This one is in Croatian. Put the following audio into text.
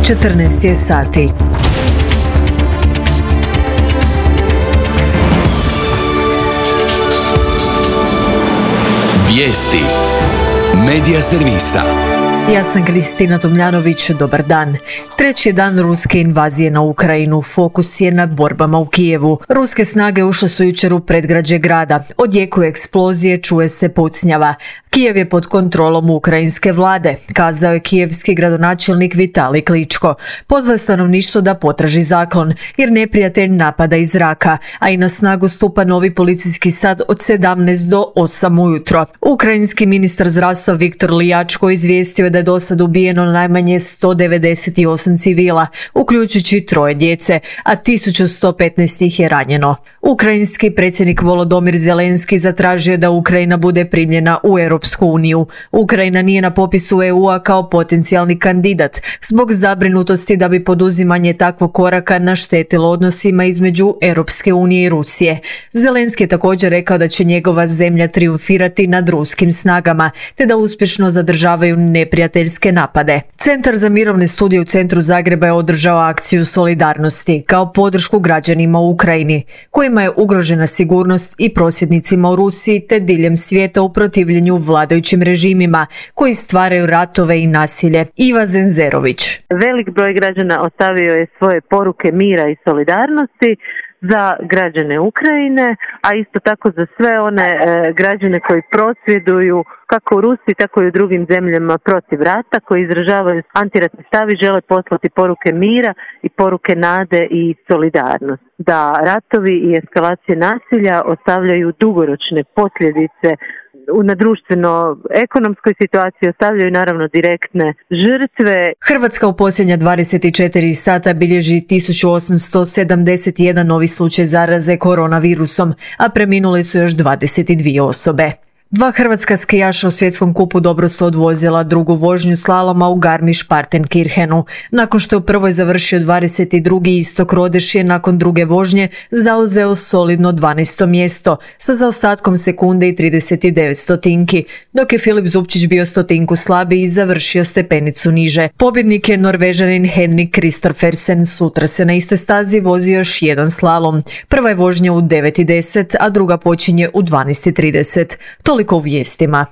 14 je sati. Vijesti Medija servisa. Ja sam Kristina Tomljanović, dobar dan. Treći dan ruske invazije na Ukrajinu, fokus je na borbama u Kijevu. Ruske snage ušle su jučer u predgrađe grada. Odjekuje eksplozije, čuje se pucnjava. Kijev je pod kontrolom ukrajinske vlade, kazao je kijevski gradonačelnik Vitalij Kličko. Pozvao je stanovništvo da potraži zaklon, jer neprijatelj napada iz zraka, a i na snagu stupa novi policijski sat od 17 do 8 ujutro. Ukrajinski ministar zdravstva Viktor Lijačko izvijestio je da je do sad ubijeno najmanje 198 civila, uključujući 3 djece, a 1115 ih je ranjeno. Ukrajinski predsjednik Volodymyr Zelenski zatražio je da Ukrajina bude primljena u Europsku uniju. Ukrajina nije na popisu EU-a kao potencijalni kandidat, zbog zabrinutosti da bi poduzimanje takvog koraka naštetilo odnosima između Europske unije i Rusije. Zelenski je također rekao da će njegova zemlja triumfirati nad ruskim snagama, te da uspješno zadržavaju neprijateljske napade. Centar za mirovne studije u centru Zagreba je održao akciju solidarnosti kao podršku građanima u Ukrajini, kojima je ugrožena sigurnost, i prosvjednicima u Rusiji te diljem svijeta u protivljenju vladajućim režimima koji stvaraju ratove i nasilje. Iva Zenzerović. Velik broj građana ostavio je svoje poruke mira i solidarnosti za građane Ukrajine, a isto tako za sve one građane koji prosvjeduju kako u Rusiji, tako i u drugim zemljama protiv rata, koji izražavaju antiratni stav i žele poslati poruke mira i poruke nade i solidarnosti. Da ratovi i eskalacije nasilja ostavljaju dugoročne posljedice na društveno-ekonomskoj situaciji, ostavljaju naravno direktne žrtve. Hrvatska u posljednja 24 sata bilježi 1871 novi slučaj zaraze koronavirusom, a preminule su još 22 osobe. 2 hrvatska skijaša u svjetskom kupu dobro su odvozila drugu vožnju slaloma u Garmisch-Partenkirchenu. Nakon što je u prvoj završio 22. Istok Rodeš je nakon druge vožnje zauzeo solidno 12. mjesto sa zaostatkom sekunde i 39 stotinki, dok je Filip Zupčić bio stotinku slabiji i završio stepenicu niže. Pobjednik je Norvežanin Henrik Kristoffersen. Sutra se na istoj stazi vozi još jedan slalom. Prva je vožnja u 9:10, a druga počinje u 12:30. Toliko u vijestima.